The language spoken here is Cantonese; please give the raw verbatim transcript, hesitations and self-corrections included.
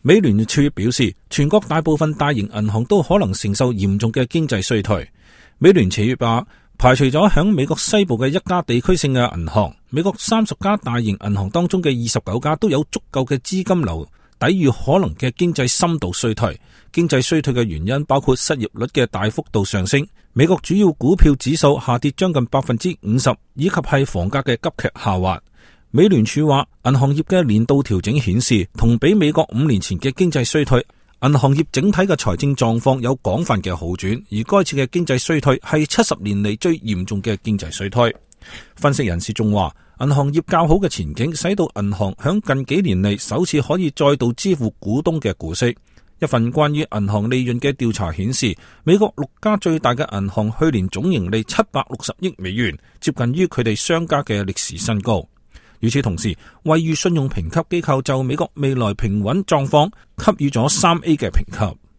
美聯儲表示，全國大部分大型銀行都可能承受嚴重嘅經濟衰退。美聯儲話，排除咗響美國西部嘅一家地區性嘅銀行，美國三十家大型銀行當中嘅二十九家都有足夠嘅資金流抵禦可能嘅經濟深度衰退。經濟衰退嘅原因包括失業率嘅大幅度上升，美國主要股票指數下跌將近百分之五十，以及係房價嘅急劇下滑。美聯儲話，銀行業嘅年度調整顯示，同比美國五年前嘅經濟衰退，銀行業整體嘅財政狀況有廣泛嘅好轉，而該次嘅經濟衰退係七十年嚟最嚴重嘅經濟衰退。分析人士仲話，銀行業較好嘅前景使到銀行響近幾年嚟首次可以再度支付股東嘅股息。一份關於銀行利潤嘅調查顯示，美國六家最大嘅銀行去年總盈利七百六十億美元，接近於佢哋相加嘅歷史新高。與此同時，惠譽信用評級機構就美國未來平穩狀況給予咗三 A 嘅評級。